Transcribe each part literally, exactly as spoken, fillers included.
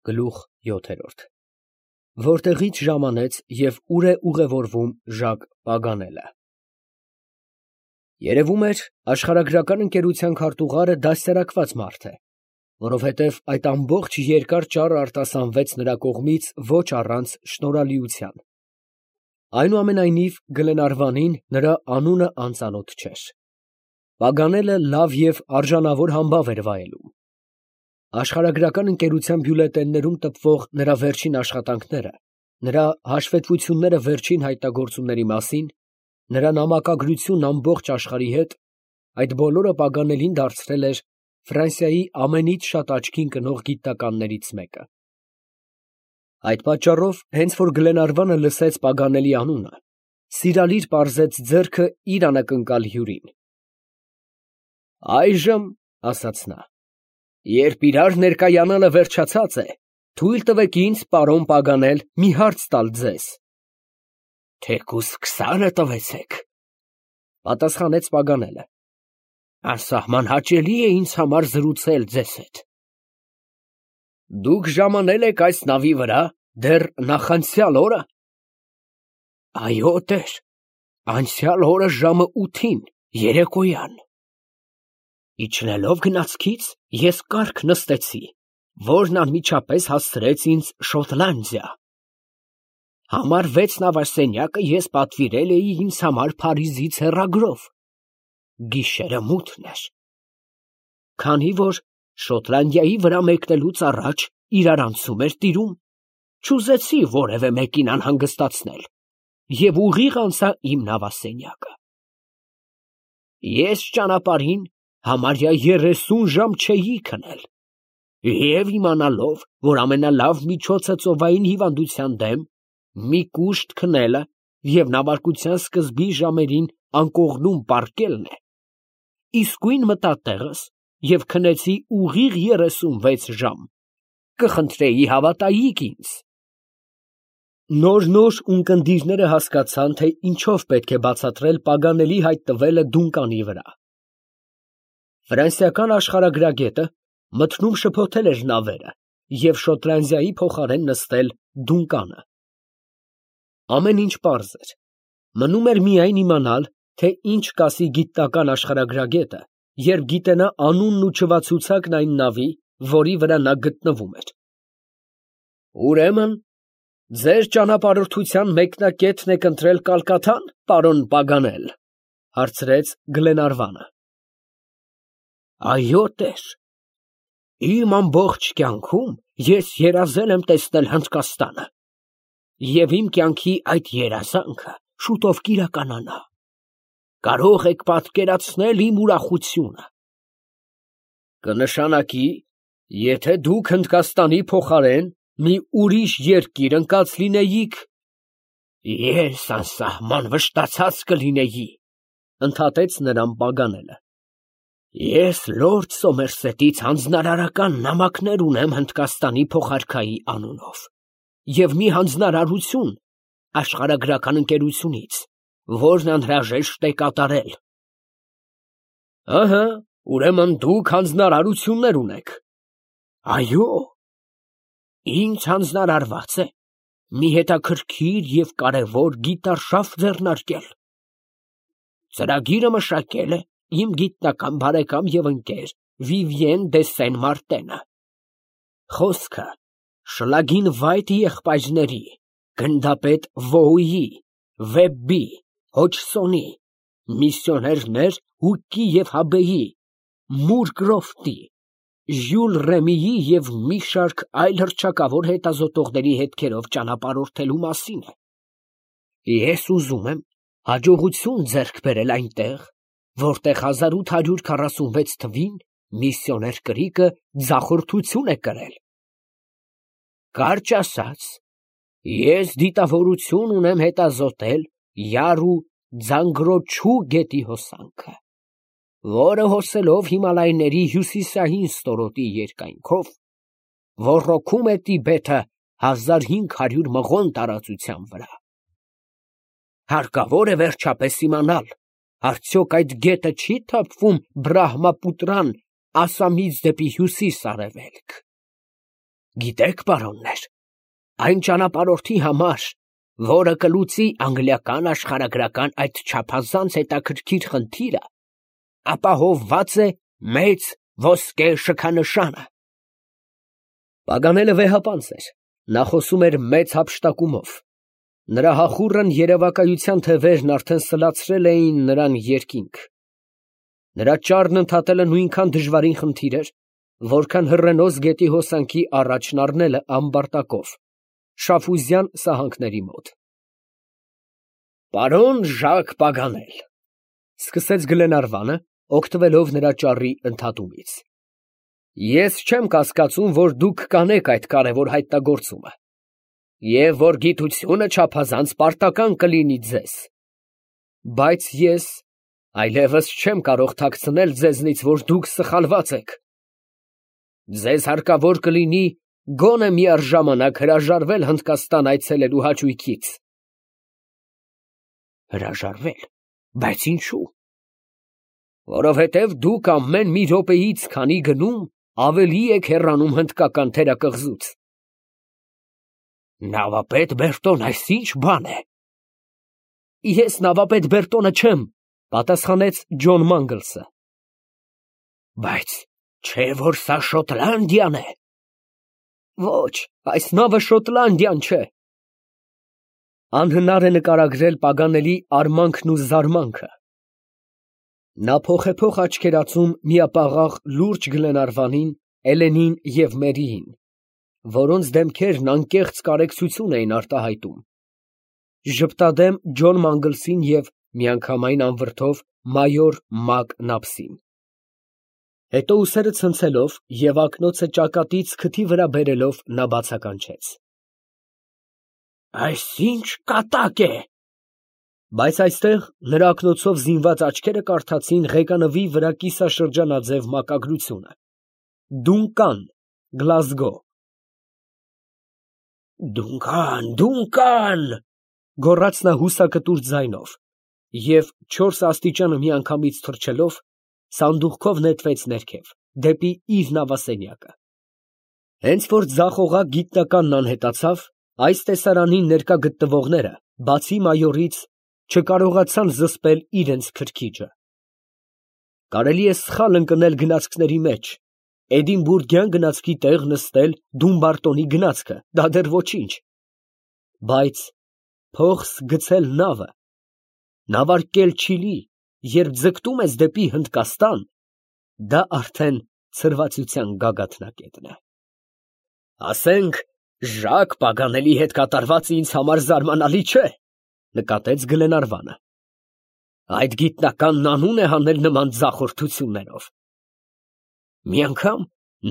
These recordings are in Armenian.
Գլուխ յոթ Որտեղից ժամանեց և ուր է ուղևորվում Ժակ Պագանելը։ Երևում էր, աշխարհագրական ընկերության քարտուղարը դաստիարակված մարդ է, որովհետև այդ ամբողջ երկար ճառը արտասանվեց նրա կողմից ոչ առանց շնորհալիության։ Այնուամենայնիվ Գլենարվանին նրա անունը անծանոթ չէր։ Պագանելը լավ և արժանավոր համբավ էր վայելում։ Աշխարհագրական ընկերության բյուլետեններում տպվող նրա վերջին աշխատանքները, նրա հաշվետվությունները վերջին հայտնագործությունների մասին, նրա նամակագրությունն ամբողջ աշխարհի հետ, այդ բոլորը Պագանելին դարձրել էր Ֆրանսիայի ամենից շատ աչքին կնող գիտնականներից մեկը։ Այդ պատճառով, հենց որ Գլենարվանը լսեց Պագանելի անունը, սիրալիր պարզեց ձեռքը իր անակնկալ հյուրին։ «Այժմ, ֊ ասաց նա, ֊ երբ իրար ներկայանալը վերջացած է, թույլ տվեք ինձ, պարոն Պագանել, մի հարց տալ ձեզ»։ ֊ Թեկուզ քսանը տվեցեք, ֊ պատասխանեց Պագանելը. անսահման հաճելի է ինձ համար զրուցել ձեզ հետ։ ֊ Դուք ժամանել եք այս նավի վրա դեռ նախանցյալ օրը։ ֊ Այո, տեր, անցյալ օրը ժամը ութին երեկոյան։ ֊ Իջնելով գնացքից, ես կառք նստեցի, որն անմիջապես հասցրեց ինձ Շոտլանդիա։ Համար վեց նավասենյակը ես պատվիրել էի ինձ համար Փարիզից հեռագրով։ Գիշերը մութն էր։ Քանի որ Շոտլանդիայի վրա մեկնելուց առաջ իրարանցում էր տիրում, չուզեցի որևէ մեկին անհանգստացնել և ուղիղ անցա իմ նավասենյակը։ Ես ճանապարհին համարյա երեսուն ժամ չէի քնել, և իմանալով, որ ամենալավ միջոցը ծովային հիվանդության դեմ մի կուշտ քնելը և նավարկության սկզբի ժամերին անկողնում պառկելն է, իսկույն մտա տեղս և քնեցի ուղիղ երեսունվեց ժամ, կխնդրեի հավատայիք ինձ։ Նոր֊նոր ունկնդիրները հասկացան, թե ինչով պետք է բացատրել Պագանելի հայտնվելը Դունկանի վրա։ Ֆրանսիական աշխարհագրագետը մթնում շփոթել էր նավերը և Շոտլանդիայի փոխարեն նստել Դունկանը։ Ամեն ինչ պարզ էր, մնում էր միայն իմանալ, թե ինչ կասի գիտնական աշխարհագրագետը, երբ գիտենա անունն ու չվացուցակն այն նավի, որի վրա նա գտնվում էր։ Ուրեմն ձեր ճանապարհորդության մեկնակետն եք ընտրել Կալկաթա՞ն, պարոն Պագանել, ֊ հարցրեց Գլենարվանը։ Այո, տեր, իմ ամբողջ կյանքում ես երազել եմ տեսնել Հնդկաստանը, և իմ կյանքի այդ երազանքը շուտով կիրականանա։ Կարող եք պատկերացնել իմ ուրախությունը։ Կնշանակի, եթե դուք Հնդկաստանի փոխարեն մի ուրիշ երկիր ընկած լինեիք, ես անսահման վշտացած կլինեի, ֊ ընդհատեց նրան Պագանելը։ Ես լորդ Սոմերսետից հանձնարարական նամակներ ունեմ Հնդկաստանի փոխարքայի անունով և մի հանձնարարություն աշխարհագրական ընկերությունից, որն անհրաժեշտ է կատարել։ Ահա, ուրեմն դուք հանձնարարություններ ունեք։ Այո, ինձ հանձնարարված է մի հետաքրքիր և կարևոր գիտարշավ ձեռնարկել։ Ծրագիրը մշակել է իմ գիտնական բարեկամ և ընկեր Վիվիեն դե Սեն֊Մարտենը։ Խոսքը Շլագին Վայթ եղբայրների, գնդապետ Վոուի, Վեբբի, Հոջսոնի, միսիոներներ Հուկի և Հաբեի, Մուր Կրոֆտի, Ժյուլ Ռեմիի և մի շարք այլ հռչակավոր հետազոտողների հետքերով ճանապարհորդելու մասին է։ Ես ուզում եմ հաջողություն ձեռք բերել այնտեղ, որտեղ հազար ութ հարյուր քառասունվեց թվին միսիոներ Կրիկը ձախորդություն է կրել։ Կարճ ասած, ես դիտավորություն ունեմ հետազոտել Յարու Ձանգրոչու գետի հոսանքը, որը հոսելով Հիմալայների հյուսիսային ստորոտի երկայնքով, ոռոգում է Տիբեթը հազար հինգ հարյուր մղոն տարածության վրա։ Հարկավոր է վերջապես իմանալ, արդյոք այդ գետը չի թափվում Բրահմապուտրան Ասամից դեպի հյուսիս֊արևելք։ Գիտեք, պարոններ, այն ճանապարհորդի համար, որը կլուծի անգլիական աշխարհագրական այդ չափազանց հետաքրքիր խնդիրը, ապահովված է մեծ ոսկե շքանշանը։ Պագանելը վեհապանծ էր, նա խոսում էր մեծ հափշտակումով, նրա հախուռն երևակայության թևերն արդեն սլացրել էին նրան երկինք։ Նրա ճառն ընդհատելը նույնքան դժվարին խնդիր էր, որքան Հռենոս գետի հոսանքի առաջն առնելը ամբարտակով, Շաֆուզյան սահանքների մոտ։ Պարոն Ժակ Պագանել, սկսեց Գլենարվանը, օգտվելով նրա ճառի ընդհատումից, ես չեմ կասկածում, որ դուք կանեք այդ կարևոր հայտնագործումը, և որ գիտությունը չափազանց պարտական կլինի ձեզ, բայց ես այլևս չեմ կարող թաքցնել ձեզնից, որ դուք սխալված եք։ Ձեզ հարկավոր կլինի գոնե միառժամանակ հրաժարվել Հնդկաստան այցելելու հաճույքից։ Հրաժարվել, բայց ինչու։ Որովհետև դուք ամեն մի րոպեից քանի գնում ավելի եք հեռանում հնդկական թերակղզուց։ Նավապետ Բերտոն, այս ինչ բան է։ Ես նավապետ Բերտոնը չեմ, պատասխանեց Ջոն Մանգլսը։ Բայց չէ՞ որ սա Շոտլանդիան է։ Ոչ, այս նավը Շոտլանդիան չէ։ Անհնար է նկարագրել Պագանելի արմանքն ու զարմանքը։ Նա փոխեփոխ աչքերացում միապաղաղ լուրջ Գլենարվանին, Էլենին և Մերիին, որոնց դեմքերն անկեղծ կարեկցություն էին արտահայտում, ժպտադեմ Ջոն Մանգլսին և միանգամայն անվրդով մայոր Մակ Նափսին։ Հետո ուսերը ցնցելով և ակնոցը ճակատից քթի վրա բերելով նա բացականչեց. Այս ինչ կատակ է։ Բայց այստեղ նրա ակնոցով զինված աչքերը կարդացին ղեկանվի վրա կիսաշրջանաձև մակագրությունը. Դունկան, Գլազգո։ Դունկան, Դունկան, գոռաց նա հուսակտուր ձայնով և չորս աստիճանը միանգամից թռչելով սանդուղքով նետվեց ներքև, դեպի իր նավասենյակը։ Հենց որ ձախողակ գիտնականն անհետացավ, այս տեսարանին ներկա գտնվողները, բացի մայորից, չկարողացան զսպել իրենց քրքիջը։ Կարելի է սխալ ընկնել գնացքների մեջ, Էդինբուրգյան գնացքի տեղ նստել Դումբարտոնի գնացքը, դա դեռ ոչինչ, բայց փողս գցել նավը, նավարկել Չիլի, երբ ձգտում ես դեպի Հնդկաստան, դա արդեն ցրվածության գագաթնակետն է։ Ասենք, Ժակ Պագանելի հետ կատարվածը ինձ համար զարմանալի չէ, նկատեց Գլենարվանը։ Այդ գիտնականն անուն է հանել նման ձախորդություններով։ Մի անգամ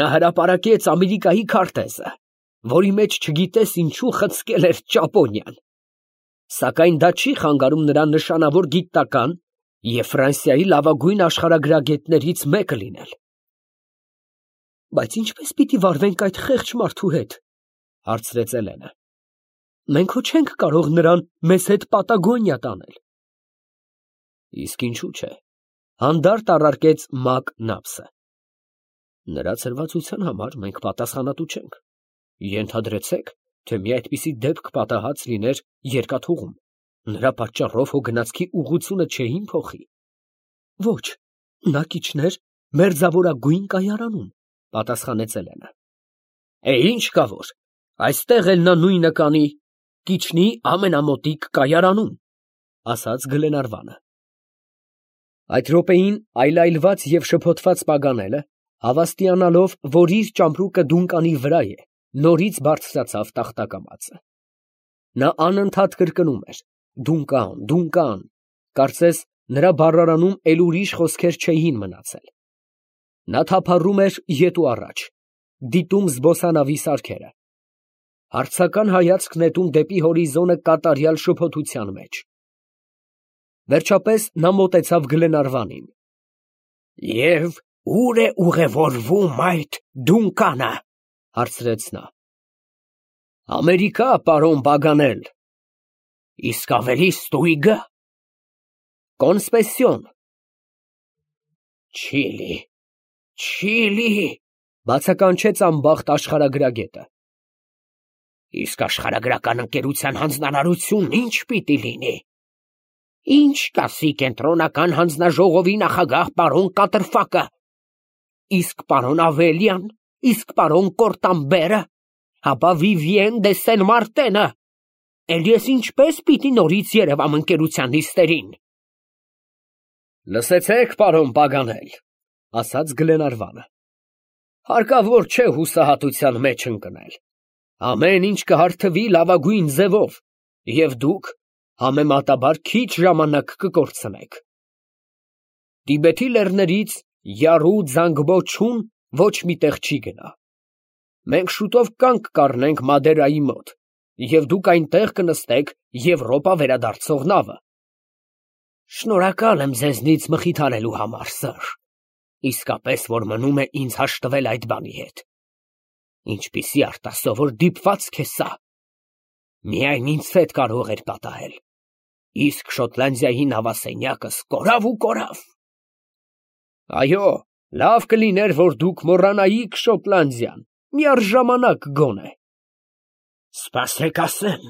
նա հրապարակեց Ամերիկայի քարտեզը, որի մեջ չգիտես ինչու խցկել էր Ճապոնիան, սակայն դա չի խանգարում նրան նշանավոր գիտնական և Ֆրանսիայի լավագույն աշխարհագրագետներից մեկը լինել։ Բայց ինչպես պիտի վարվենք այդ խեղճ մարդու հետ, հարցրեց Էլենը։ Մենք հո չենք կարող նրան մեզ հետ Պատագոնիա տանել։ Իսկ ինչու՞ չէ, հանդարտ առարկեց Մակ Նափսը։ Նրա ցրվածության համար մենք պատասխանատու չենք։ Ենթադրեցեք, թե մի այդպիսի դեպք պատահած լիներ երկաթուղում, նրա պատճառով հո գնացքի ուղղությունը չէին փոխի։ Ոչ, նա կիջներ մերձավորագույն կայարանում, պատասխանեց Էլենը։ Է, ինչ կա որ, այստեղ էլ նա նույնը կանի, կիջնի ամենամոտիկ կայարանում, ասաց Գլենարվանը։ Այդ րոպեին այլայլված և շփոթված Պագանելը, հավաստիանալով, որ իր ճամպրուկը Դունկանի վրա է, նորից բարձրացավ տախտակամածը։ Նա անընդհատ կրկնում էր. Դունկան, Դունկան, կարծես նրա բառարանում էլ ուրիշ խոսքեր չէին մնացել։ Նա թափառում էր ետ ու առաջ, դիտում զբոսանավի սարքերը, հարցական հայացք նետում դեպի հորիզոնը կատարյալ շփոթության մեջ։ Վերջապես նա մոտեցավ Գլենարվանին։ Եվ ո՞ւր է ուղևորվում այդ Դունկանը, հարցրեց նա։ Ամերիկա, պարոն Պագանել։ Իսկ ավելի ստույգը։ Կոնսպեսիոն։ Չիլի, Չիլի, Բացականչեց անբախտ աշխարհագրագետը։ Իսկ աշխարհագրական ընկերության հանձնարարությունն ինչ պիտի լինի։ Ինչ կասի կենտրոնական հանձնաժողովի նախագահ պարոն Կատրֆակը, իսկ պարոն Ավելյան, իսկ պարոն Կորտամբերը, ապա Վիվիեն դե Սեն-Մարտենը, էլ ես ինչպես պիտի նորից երևամ ընկերության նիստերին։ Լսեցեք, պարոն Պագանել, ասաց Գլենարվանը, հարկավոր չէ հուսահատության մեջ ընկնել, ամեն ինչ կհարթվի լավագույն ձևով, և դուք համեմատաբար քիչ ժամանակ կկորցնեք։ Տիբեթի լեռներից յարու ձանգբոչուն ոչ մի տեղ չի գնա։ Մենք շուտով կանգ կառնենք Մադերայի մոտ, և դուք այնտեղ կնստեք Եվրոպա վերադարձող նավը։ Շնորհակալ եմ ձեզնից մխիթարելու համար, սըր, իսկապես որ մնում է ինձ հաշտվել այդ բանի հետ։ Ինչպիսի արտասովոր դիպվածք է սա։ Միայն ինձ հետ կարող էր պատահել, իսկ Շոտլանդիայի նավասենյակս կորավ ու կորավ։ Այո, լավ կլիներ, որ դուք մոռանայիք Շոտլանդիան, միառժամանակ գոնե։ Սպասեք ասեմ,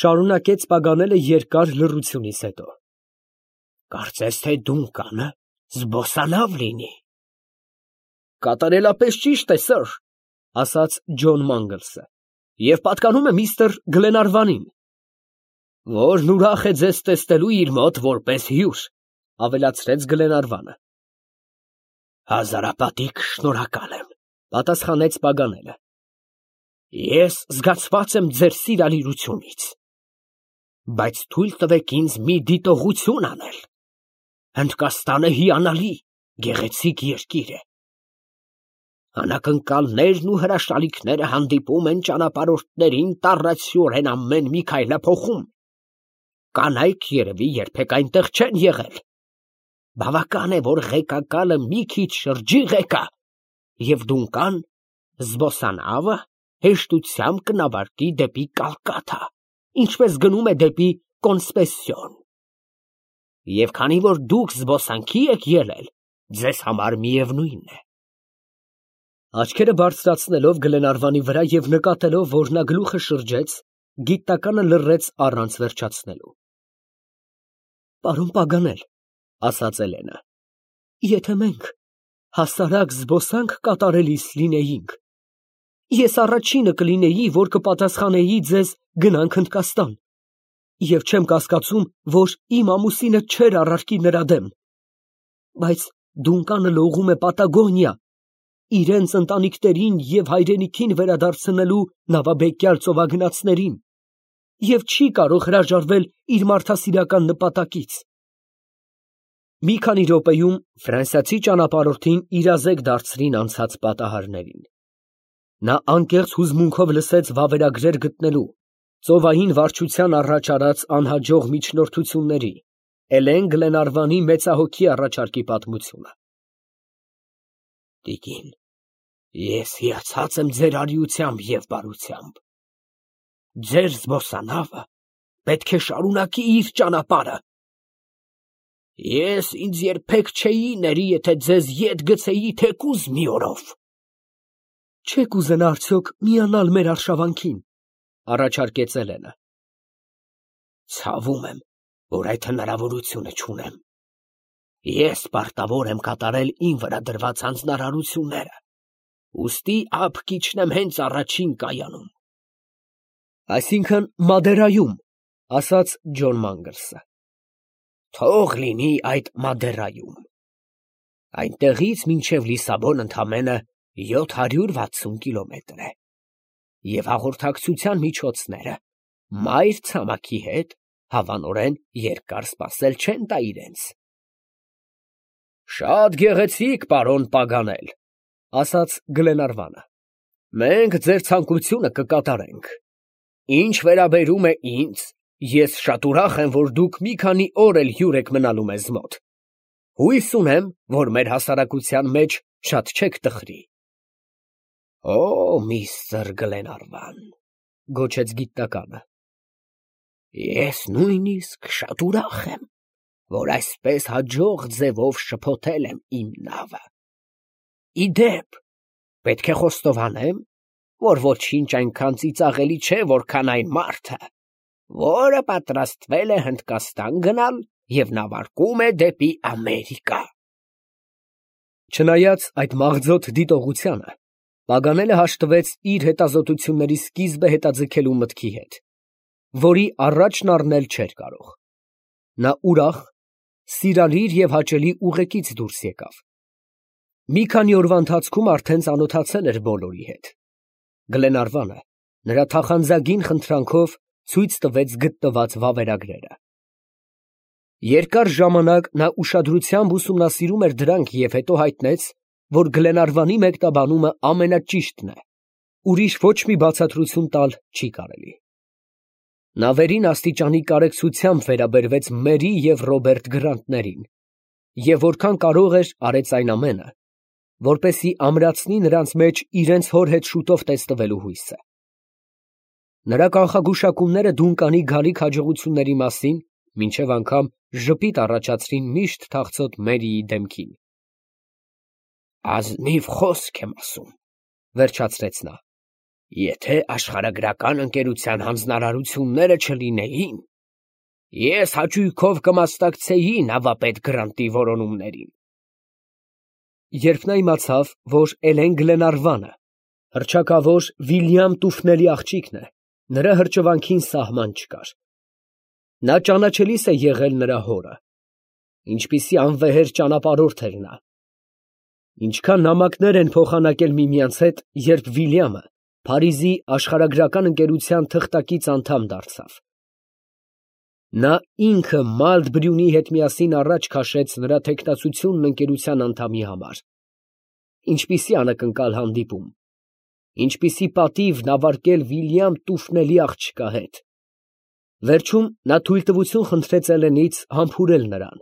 շարունակեց Պագանելը երկար լռությունից հետո։ Կարծես թե Դունկանը զբոսանավ լինի։ Կատարելապես ճիշտ է, սըր, ասաց Ջոն Մանգլսը, և պատկանում է միստր Գլենարվանին, որն ուրախ է ձեզ տեսնելու իր մոտ որպես հյուր, ավելացրեց Գլենարվանը։ Հազարապատիկ շնորհակալ եմ, պատասխանեց Պագանելը։ Ես զգացված եմ ձեր սիրալիրությունից, բայց թույլ տվեք ինձ մի դիտողություն անել։ Հնդկաստանը հիանալի, գեղեցիկ երկիր է։ Անակնկալներն ու հրաշալիքները հանդիպում են ճանապարհորդներին տառացիորեն ամեն մի քայլափոխում։ Կանայք երևի երբեք այնտեղ չեն եղել։ Բավական է, որ ղեկակալը մի քիչ շրջի ղեկա, և Դունկան զբոսանավը հեշտությամբ կնավարկի դեպի Կալկաթա, ինչպես գնում է դեպի Կոնսպեսիոն։ Եվ քանի որ դուք զբոսանքի եք ելել, ձեզ համար միևնույն է։ Աչքերը բարձրացնելով Գլենարվանի վրա և նկատելով, որ նա գլուխը շրջեց, գիտականը լռեց առանց վերջացնելու։ Պարոն Պագանել, ասաց Էլենը, եթե մենք հասարակ զբոսանք կատարելիս լինեինք, ես առաջինը կլինեի, որ կպատասխանեի ձեզ գնանք Հնդկաստան, և չեմ կասկածում, որ իմ ամուսինը չէր առարկի նրա դեմ, բայց Դունկանը լողում է Պատագոնիա, իրենց ընտանիքներին և հայրենիքին վերադարձնելու նավաբեկյալ ծովագնացներին, և չի կարող հրաժարվել իր մարդասիրական նպատակից։ Մի քանի րոպեում ֆրանսիացի ճանապարհորդին իրազեկ դարձրին անցած պատահարներին։ Նա անկեղծ հուզմունքով լսեց վավերագրեր գտնելու, ծովային վարչության առաջ արած անհաջող միջնորդությունների, Էլեն Գլենարվանի մեծահոգի առաջարկի պատմությունը։ Տիկին, ես հիացած եմ ձեր արիությամբ և բարությամբ։ Ձեր զբոսանավը պետք է շարունակի իր ճանապարհը։ Ես ինձ երբեք չէի ների, եթե ձեզ ետ գցեի թեկուզ մի օրով։ Չեք ուզենա արդյոք միանալ մեր արշավանքին, առաջարկեց Էլենը։ Ցավում եմ, որ այդ հնարավորությունը չունեմ։ Ես պարտավոր եմ կատարել իմ վրա դրված հանձնարարությունները, ուստի ափ կիջնեմ հենց առաջին կայանում։ Այսինքն Մադերայում, ասաց Ջոն Մանգլսը։ Թող լինի այդ Մադերայում։ Այնտեղից մինչև Լիսաբոն ընդամենը յոթ հարյուր վաթսուն կիլոմետր է, և հաղորդակցության միջոցները մայր ցամաքի հետ հավանորեն երկար սպասել չեն տա իրենց։ Շատ գեղեցիկ, պարոն Պագանել, ասաց Գլենարվանը։ Մենք ձեր ցանկությունը կկատարենք։ Ինչ վերաբերում է ինձ, ես շատ ուրախ եմ, որ դուք մի քանի օր էլ հյուր եք մնալու մեզ մոտ։ Հույս ունեմ, որ մեր հասարակության մեջ շատ չեք տխրի։ Օ, միստր Գլենարվան, գոչեց գիտականը։ Ես նույնիսկ շատ ուրախ եմ, որ այսպես հաջող ձևով շփոթել եմ իմ նավը։ Ի դեպ, Պետք է խոստովանեմ, որ ոչինչ այնքան ծիծաղելի չէ, որքան այն մարդը, որը պատրաստվել է Հնդկաստան գնալ և նավարկում է դեպի Ամերիկա։ Չնայած այդ մաղձոտ դիտողությանը, Պագանելը հաշտվեց իր հետազոտությունների սկիզբը հետաձգելու մտքի հետ, որի առաջն առնել չէր կարող։ Նա ուրախ, սիրալիր և հաճելի ուղեկից դուրս եկավ։ Մի քանի օրվա ընթացքում արդեն ծանոթացել էր բոլորի հետ։ Գլենարվանը նրա թախանձագին խնդրանքով ցույց տվեց գտնված վավերագրերը։ Երկար ժամանակ նա ուշադրությամբ ուսումնասիրում էր դրանք և հետո հայտնեց, որ Գլենարվանի մեկնաբանումը ամենաճիշտն է, ուրիշ ոչ մի բացատրություն տալ չի կարելի։ Նա վերին աստիճանի կարեկցությամբ վերաբերվեց Մերի և Ռոբերտ Գրանտներին և որքան կարող էր արեց այն ամենը, որպեսզի ամրացնի նրանց մեջ իրենց հոր հետ շուտով տեսնվելու հույսը։ Նրա կանխագուշակումները Դունկանի գալիք հաջողությունների մասին մինչև անգամ ժպիտ առաջացրին միշտ թախծոտ Մերիի դեմքին։ «Ազնիվ խոսք եմ ասում, ֊ վերջացրեց նա, ֊ եթե աշխարհագրական ընկերության հանձնարարությունները չլինեին, ես հաճույքով կմասնակցեի նավապետ Գրանտի որոնումներին»։ Երբ նա իմացավ, որ Էլեն Գլենարվանը հռչակավոր Վիլյամ Տուֆնելի աղջիկն է, նրա հրճվանքին սահման չկար։ Նա ճանաչելիս է եղել նրա հորը, ինչպիսի անվեհեր ճանապարհորդ էր նա։ Ինչքան նամակներ են փոխանակել միմյանց հետ, երբ Վիլյամը Փարիզի աշխարհագրական ընկերության թղթակից անդամ դարձավ։ Նա ինքը Մալտ֊Բրյունի հետ միասին առաջ քաշեց նրա թեկնածությունն ընկերության անդամի համար։ Ինչպիսի անակնկալ հանդիպում, ինչպիսի պատիվ նավարկել Վիլյամ Տուֆնելի աղջկա հետ։ Վերջում նա թույլտվություն խնդրեց Էլենից համբուրել նրան,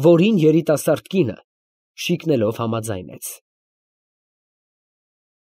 որին երիտասարդ կինը շիկնելով համաձայնեց։